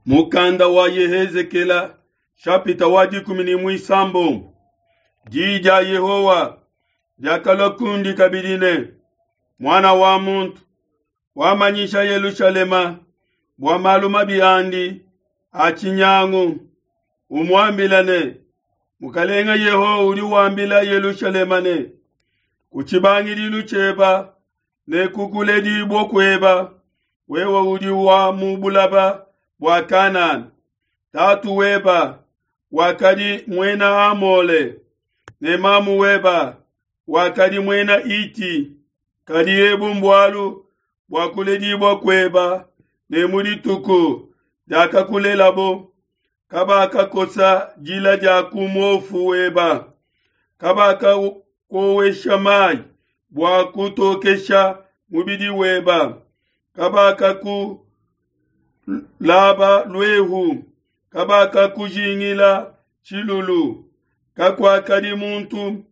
Mukanda wa Yehezekela shapita wa 16. Diyi dia Yehowa diakalua kundi kabidi ne, Muana wa muntu, wamanyisha Yelushalema bua malu mabi andi a tshinyangu, umuambila ne, Mukalenga Yehowa udi wambila Yelushalema ne, ku tshibangidilu tshieba ne ku kuledibua kueba, wewe udi wa mu bulaba bua Kanana. Tatu weba wakadi muena Amole ne mamu weba wakadi muena Iti. Kadi ebu mbualu bua kuledibua kueba ne mu dituku diakakulelabo, kabakakosa dila dia ku muofu weba, kabakakowesha mayi bua kutokesha mubidi weba, kabakakulaba luehu, kabakakujingila tshilulu, kakuakadi muntu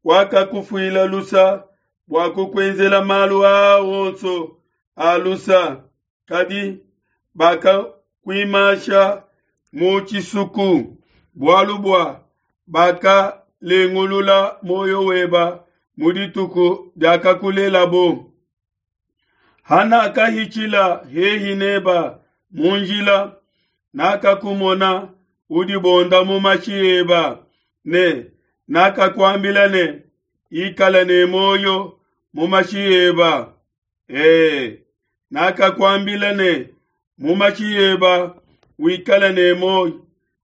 wakakufuila lusa bua kukuenzela malu aa onso a lusa, kadi bakakuimasha mu tshisuku, bualu bua bakalengulula muoyo weba mu dituku diakakulelabo. Hanakahitshila hehi neba mu njila, nakakumona udibonda mu mashi eba, ne nakakuambila ne, Ikala ne muoyo mu mashi eba. E, nakakuambila ne, mu mashi eba wikale ne muoyo.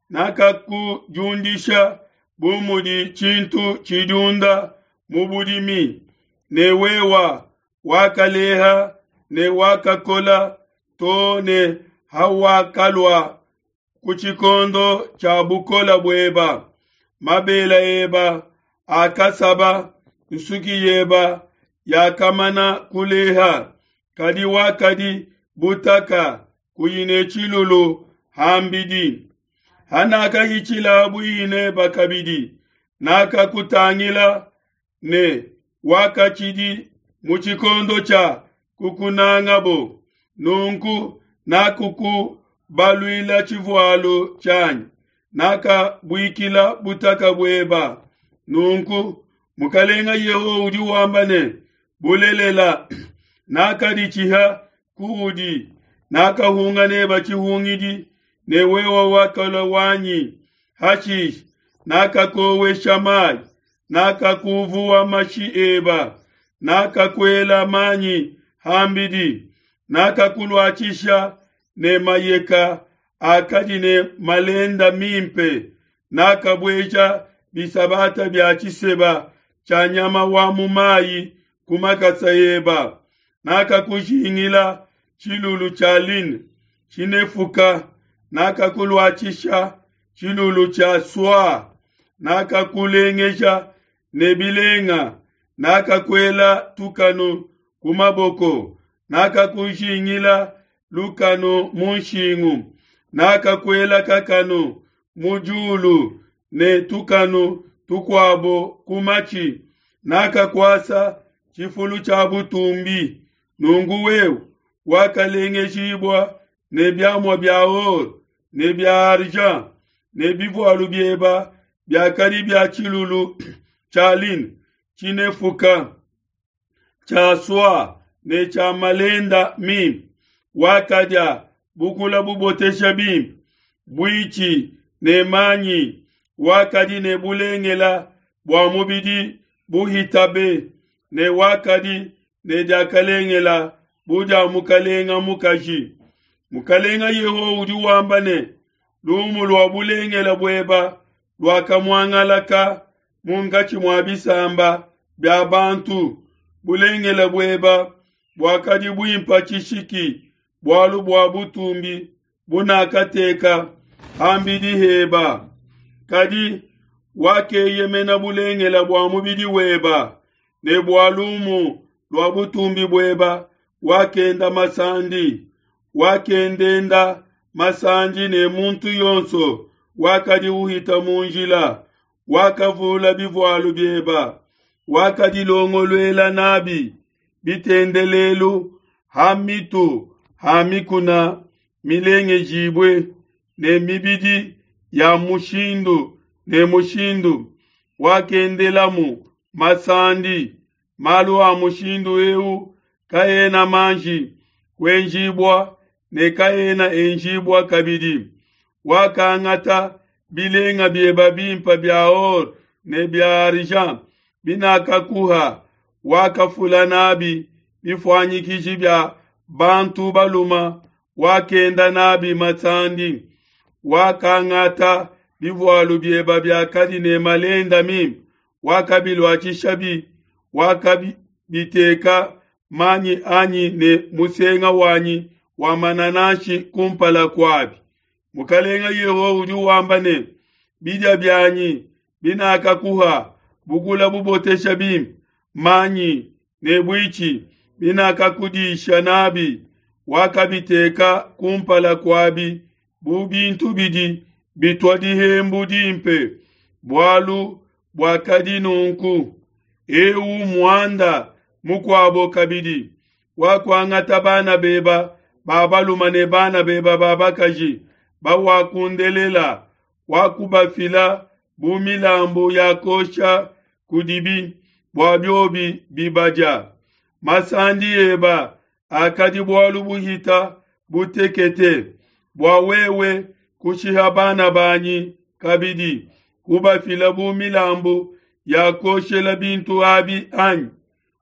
Nakakudiundisha bu mudi tshintu tshidiunda mu budimi, ne wewa wakaleha ne wakakola to ne hawakalua ku tshikondo tshia bukola bueba. Mabela eba akasaba, nsuki yeba yakamana kuleha, kadi wakadi butaka kuyi ne tshilulu hambidi. Hanakahitshila buihi neba kabidi, nakakutangila ne wakatshidi mu tshikondo tshia kukunangabo. Nunku nakukubaluila tshivualu tshianyi, nakabuikila butaka bueba. Nunku Mukalenga Yehowa udi wamba ne, Bulelela, nakaditshiha kuudi, nakahunga neba tshihungidi, ne wewe wakalua wanyi. Hashishe nakakowesha mayi, nakakuvuwa mashi eba, nakakuela manyi hambidi, nakakuluatshisha ne mayeka akadi ne malenda mimpe, nakabueja bisabata bia tshiseba tshia nyama wa mu mayi ku makasa eba, nakakujingila tshilulu tshia line tshinefuka, nakakuluatshisha tshilulu tshia soie, nakakulengeja ne bilenga, nakakuela tukanu ku maboko, nakakujingila lukanu mu nshingu, nakakuela kakanu mu diulu ne tukanu tukuabo ku matshi, nakakuasa tshifulu tshia butumbi. Nunku wewe wakalengejibua ne biamua bia or ne bia argent, ne bivualu bieba biakadi bia tshilulu tshia line tshinefuka, tshia soie ne tshia malenda mimpe. Wakadia bukula bubotesha bimpe, buitshi ne manyi, wakadi ne bulengela bua mubidi buhitabe, ne wakadi ne diakalengela bu dia mukalenga mukaji. Mukalenga Yehowa udi wamba ne, Lumu lua bulengela bueba luakamuangalaka munkatshi mua bisamba bia bantu. Bulengele bueba buakadi buimpa tshishiki, bualu bua butumbi bunakateka hambidi heba. Kadi wakeyemena bulengele bua mubidi weba, ne bua lumu lua butumbi bueba wakenda masandi, wakendenda masandi ne muntu yonso wakadi uhita mu njila, wakavula bivualu bieba, wakadilongoluela nabi bitendelelu ha mitu ha mikuna milengejibue. ne mibidi ya mushindu ne mushindu, wakendelamu masandi. Malu a mushindu eu kaena manji kuenjibua ne kaena enjibua kabidi. Wakangata bilenga bieba bimpe bia or ne bia argent binakakuha, wakafula nabi bifuanyikiji bia bantu baluma, wakenda nabi masandi. Wakangata bivualu bieba biakadi ne malenda mimpe, wakabiluatshishabi, wakabiteka manyi anyi ne musenga wanyi wa manananshi kumpala kuabi. Mukalenga Yehowa udi wamba ne, bidia bianyi binakakuha, bukula bubotesha bimpe, manyi ne buitshi binakakudisha nabi, wakabiteka kumpala kuabi bu bintu bidi bitua dihembu dimpe. Bualu buakadi nunku. Eu muanda mukuabo kabidi, wakuangata bana beba ba baluma ne bana beba ba bakaji bawakundelela, wakubafila bu milambu ya kosha kudibi bua biobi bibadia. Masandi eba akadi bualu buhita butekete, bua wewe kushiha bana banyi kabidi, kubafila bu milambu ya koshela bintu abi anyi?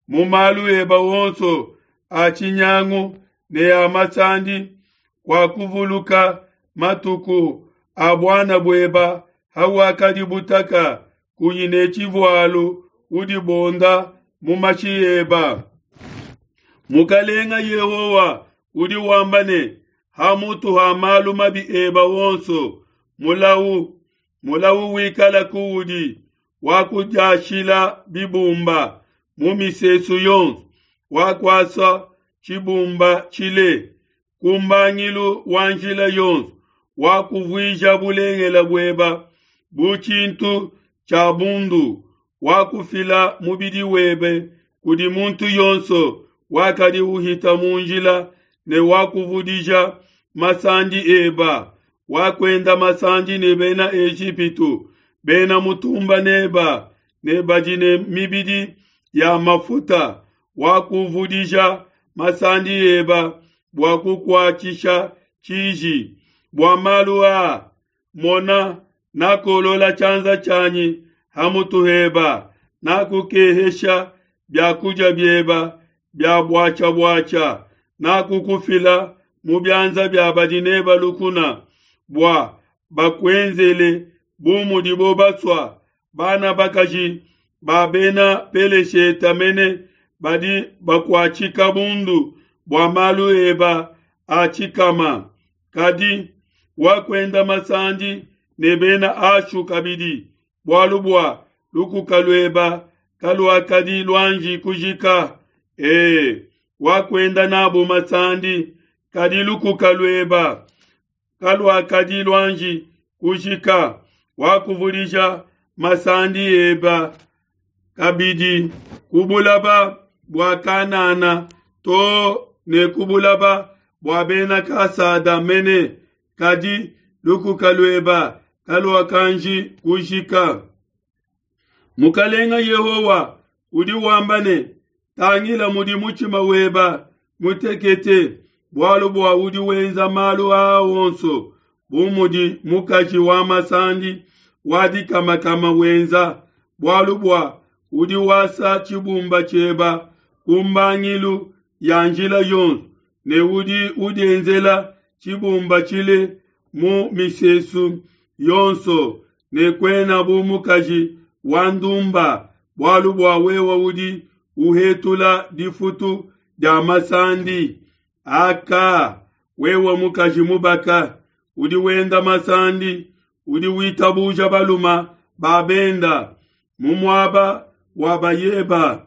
Mu malu eba wonso a tshinyangu ne a masandi, wakuvuluka matuku a buana bueba hawakadi butaka, kuyi ne tshivualu, udibonda mu mashi eba. Mukalenga Yehowa udi wamba ne, hamutu ha malu mabi eba wonso, mulau mulau wikala kuudi, wakudiashila bibumba mu misesu yonso, wakuasa tshibumba tshile ku mbangilu wa njila yonso, wakuvuija bulengele bueba bu tshintu tshia bundu, wakufila mubidi webe kudi muntu yonso wakadi uhita mu njila, ne wakuvudija masandi eba, wakuenda masandi ne bena Ejipitu, bena mutumba neba ne badi ne mibidi ya mafuta, wakuvudija masandi eba bua kukuatshisha tshiji. Bua malu aa, mona, nakolola tshianza tshianyi hamutu heba, nakukehesha biakudia bieba bia buatshia-buatshia, nakukufila mu bianza bia badi neba lukuna, bua bakuenzele bu mudibo basua. Bana bakaji ba bena Pelesheta mene badi bakuatshika bundu bua malu eba a tshikama. Kadi wakuenda masandi ne bena Ashu kabidi, bualu bua lukuka lueba kaluakadi luanji kujika. Wakuenda nabo masandi, kadi lukuka lueba kaluakadi luanji kujika. Wakuvudija masandi eba kabidi ku bulaba bua Kanana to ne ku bulaba bua bena Kasada mene, kadi lukuka lueba kaluakanji kujika. Mukalenga Yehowa udi wamba ne, tangila mudi mutshima weba mutekete, bualu bua udi wenza malu aa wonso, bu mudi mukaji wa masandi wa dikamakama wenza, bualu bua udi wasa tshibumba tshieba ku mbangilu ya njila yonso, ne udi udienzela tshibumba tshile mu misesu yonso, ne kuena bu mukaji wa ndumba, bualu bua wewe udi uhetula difutu dia masandi. Aka, wewe mukaji mubaka, udi wenda masandi, udi witabuja baluma ba benda mu muaba wa bayeba.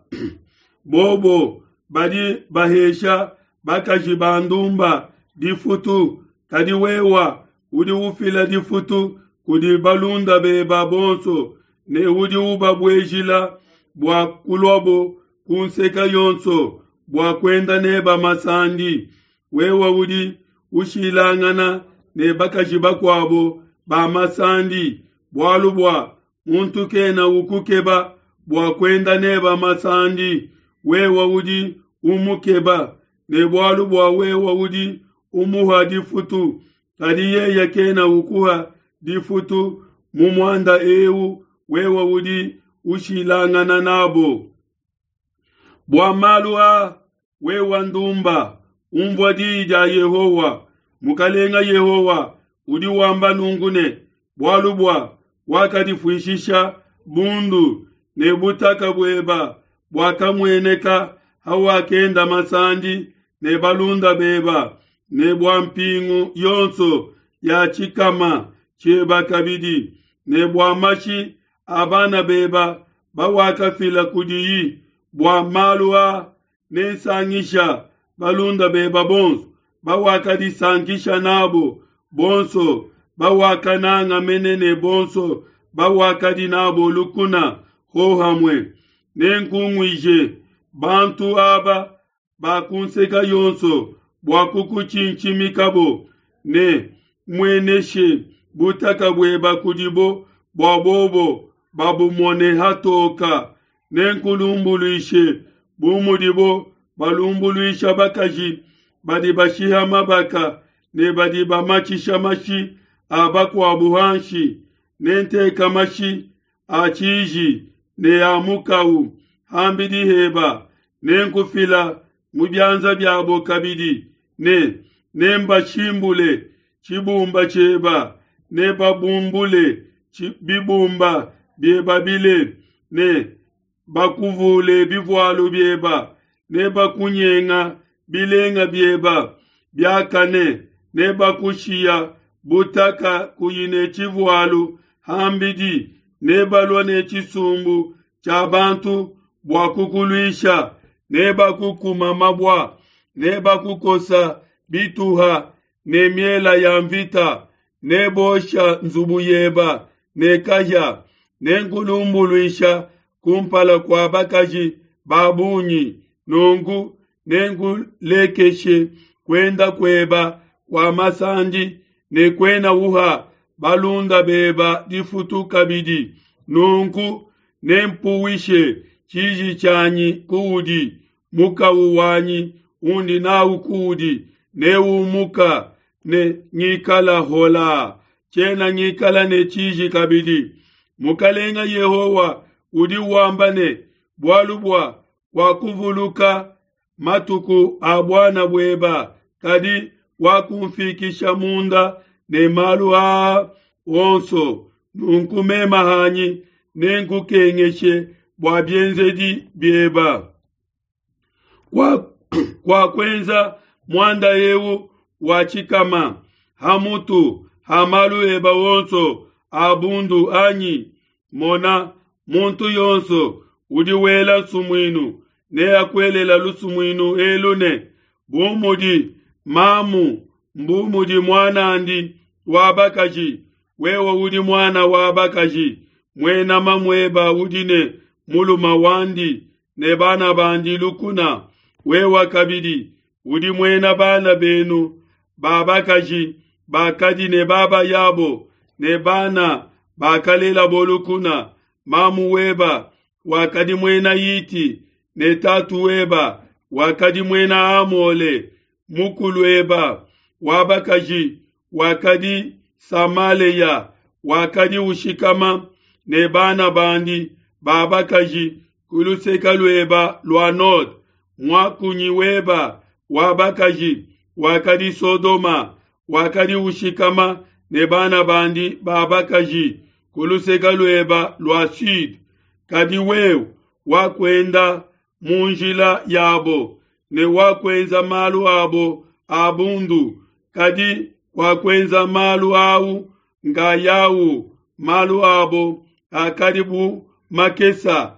Bobo badi bahesha bakaji ba ndumba difutu, kadi wewa udi ufila difutu kudi balunda beba bonso, ne udi ubabuejila bua kuluabo ku nseka yonso bua kuenda neba masandi. Wewe udi ushilangana ne bakaji bakuabo ba masandi, bualu bua muntu kena ukukeba bua kuenda neba masandi, wewe udi umukeba, ne bualu bua wewe udi umuha difutu, kadi yeye kena ukuha difutu mu muanda eu, wewe udi ushilangana nabo. Bua malu aa, wewe ndumba, umvua diyi dia Yehowa. Mukalenga Yehowa udi wamba nunku ne, bualu bua wakadifuishisha bundu ne butaka bueba buakamueneka hawakenda masandi ne balunda beba, ne bua mpingu yonso ya tshikama tshieba kabidi, ne bua mashi a bana beba bawakafila kudiyi. Bua malu aa nensangisha balunda beba bonso bawakadisankisha nabo, bonso bawakananga mene ne bonso bawakadi nabo lukuna hohamue. Nenkunguije bantu aba ba ku nseka yonso bua kukutshintshimikabo, ne mueneshe butaka bueba kudibo bua bobo babumone hatoka. Nenkulumbuluishe bu mudibo balumbuluisha bakaji badi bashiha mabaka ne badi bamatshisha mashi a bakuabu hanshi. Nenteka mashi a tshiji ne a mukau hambidi heba, nenkufila mu bianza biabo kabidi, ne nembashimbule tshibumba tshieba, nebabumbule bibumba bieba bile, ne bakuvule bivualu bieba, nebakunyenga bilenga bieba biakane, nebakushiya butaka kuyi ne tshivualu hambidi, nebalua ne tshisumbu tshia bantu bua kukuluisha, nebakukuma mabua, nebakukosa bituha ne miela ya mvita, nebosha nzubu yeba ne kahia, nenkulumbuluisha kumpala kua bakaji ba bungi. Nunku nenkulekeshe kuenda kueba kua masandi, ne kuena uha balunda beba difutu kabidi. Nunku nempuwishe tshiji tshianyi kuudi, mukawu wanyi undi nawu kuudi neumuka, ne ngikala hola, tshiena ngikala ne tshiji kabidi. Mukalenga Yehowa udi wamba ne, bualu bua wakuvuluka matuku a buana bueba, kadi wakumfikisha munda ne malu aa onso. Nunku mema hanyi nenkukengeshe bua bienzedi bieba. Kwa kuenza muanda eu wa tshikama hamutu ha malu eba wonso a bundu anyi? Mona, muntu yonso udi wela nsumuinu neakuelela lusumuinu elu ne, bu mudi mamu mbu mudi muanandi wa bakaji, wewe udi muana wa bakaji, muena mamueba udi ne muluma wandi ne bana bandi lukuna. Wewe kabidi udi muena bana benu ba bakaji bakadi ne baba yabo ne bana bakalelabo lukuna. Mamu weba wakadi muena Hiti ne tatu weba wakadi muena Amole. Mukulu eba wa bakaji wakadi Samaleya, wakadi ushikama ne bana bandi ba bakaji ku luseka lueba lua nord. Muakunyi weba wa bakaji wakadi Sodoma, wakadi ushikama ne bana bandi ba bakaji ku luseka lueba lua sud. Kadi wewe wakuenda mu njila yabo ne wakuenza malu abo a bundu, kadi wakuenza malu au ngayawu. Malu abo akadi bu makesa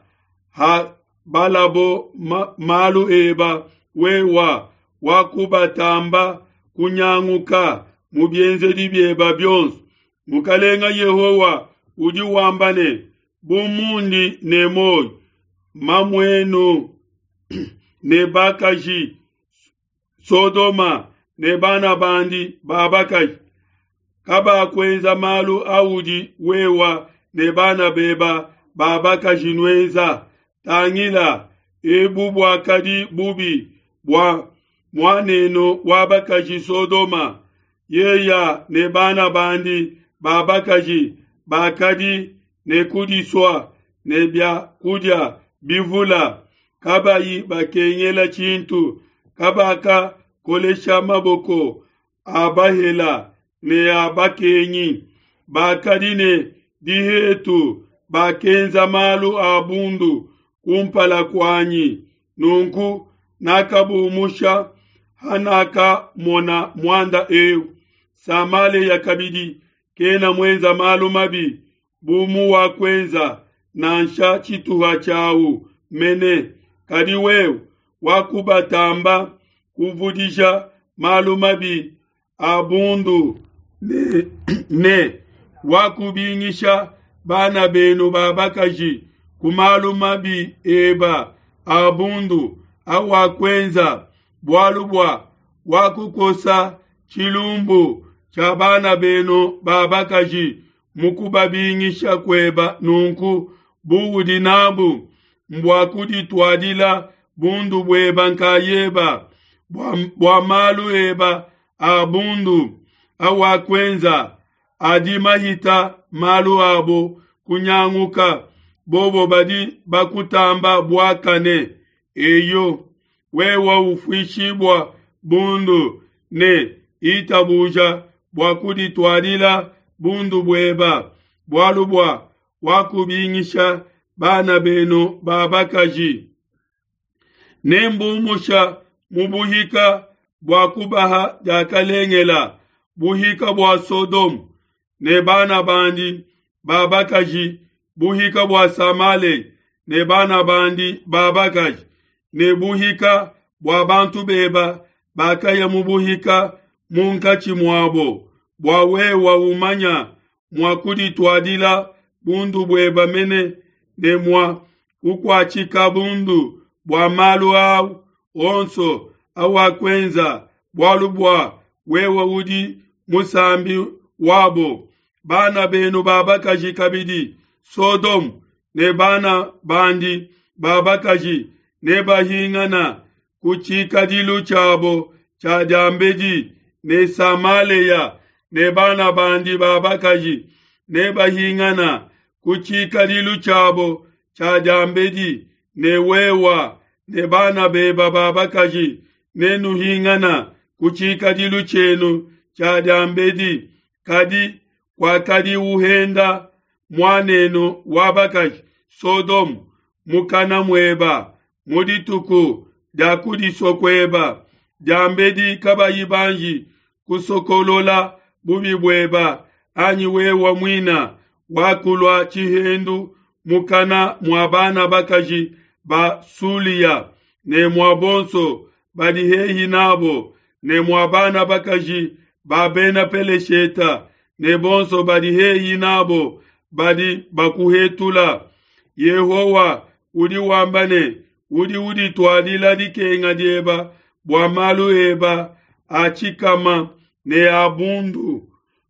ha balabo malu eba, wewa wakubatamba kunyanguka mu bienzedi bieba bionso. Mukalenga Yehowa udi wamba ne, bu mundi ne moyo, mamuenu ne bakaji Sodoma ne bana bandi ba bakaji. Kabakuenza malu audi wewa ne bana beba ba bakaji nuenza. Tangila, ebu buakadi bubi bua muanenu wa bakaji Sodoma, yeya ne bana bandi ba bakaji bakadi ne kudisua ne bia kudia bivula, kabayi bakengela tshintu, kabakakolesha maboko a bahela ne a bakengi, bakadi ne dihetu, bakenza malu a bundu kumpala kuanyi. Nunku nakabumusha hanakamona muanda eu. Samalea kabidi kena muenza malu mabi bu muwakuenza nansha tshituha tshiau mene, kadi wewe wakubatamba kuvudisha malu mabi a bundu ne wakubingisha bana benu ba bakaji ku malu mabi eba a bundu awakuenza, bualu bua wakukosa tshilumbu tshia bana benu ba bakaji mu kubabingisha kueba. Nunku buudi nabu mbua kudituadila bundu bueba nkayeba bua malu eba a bundu awakuenza adi mahita malu abo kunyanguka, bobo badi bakutamba buakane. Eyo, wewe ufuishibua bundu ne itabuja bua kudituadila bundu bueba, bualu bua wakubingisha bana benu ba bakaji. Nembumusha mu buhika bua kubaha diakalengela, buhika bua Sodome ne bana bandi ba bakaji, buhika bua Samale ne bana bandi ba bakaji, ne buhika bua bantu beba bakaya mu buhika munkatshi muabo, bua wewa umanya mua kudituadila bundu bueba mene ne mua kukuatshika bundu bua malu au onso awakuenza, bualu bua wewe udi musambi wabo. Bana benu ba bakaji kabidi, Sodome ne bana bandi ba bakaji nebahingana ku tshikadilu tshiabo tshia diambedi, ne Samalea ne bana bandi ba bakaji nebahingana ku tshikadilu tshiabo tshia diambedi, ne wewa ne bana beba ba bakaji nenuhingana ku tshikadilu tshienu tshia diambedi. Kadi kwakadi uhenda muanenu wa bakaji Sodome mukana mueba mu dituku dia kudisua kueba diambedi kabayi banji kusokolola bubi bueba, anyi wewa muina wakulua tshihendu mukana mua bana bakaji ba Sulia ne mua bonso badi hehi nabo, ne mua bana bakaji ba Bena Pelesheta ne bonso badi hehi nabo badi bakuhetula. Yehowa udi wamba ne, udi udituadila dikenga dieba bua malu eba a tshikama ne a bundu.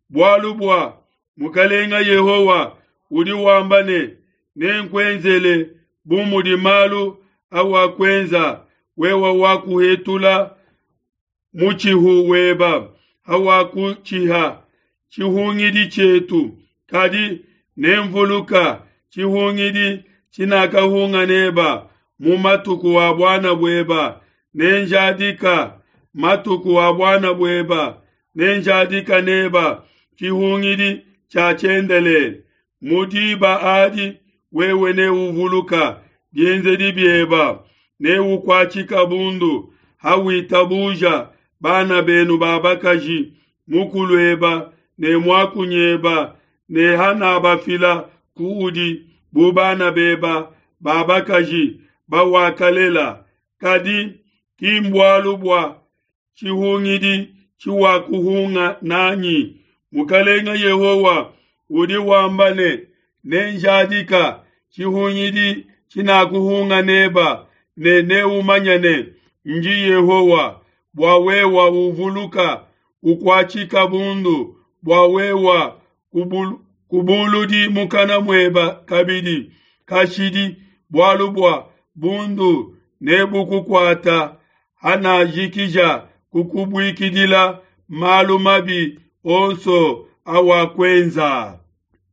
Bualu bua Mukalenga Yehowa udi wamba ne, nenkuenzele bu mudi malu awakuenza, wewe wakuhetula mutshihu weba hawakutshiha tshihungidi tshietu. Kadi nemvuluka tshihungidi tshinakahunga neba mu matuku a buana bueba, nenjadika matuku a buana bueba, nenjadika neba tshihungidi tshia tshiendelele. Mu diba adi wewe neuvuluka bienzedi bieba, neukuatshika bundu hawitabuja bana benu ba bakaji, mukulueba ne muakunyeba, ne hanabafila kuudi bu bana beba ba bakaji bawakalela. Kadi ki mbualu bua tshihungidi tshiwakuhunga nanyi. Mukalenga Yehowa udi wamba ne, nenjadika tshihungidi tshinakuhunga neba, ne neumanye ne, ndi Yehowa, bua wewa uvuluka ukuatshika bundu. bua wewa kubuludi mukana mueba kabidi kashidi, bualu bua bundu nebukukuata hanajikija kukubuikidila malu mabi onso awakuenza.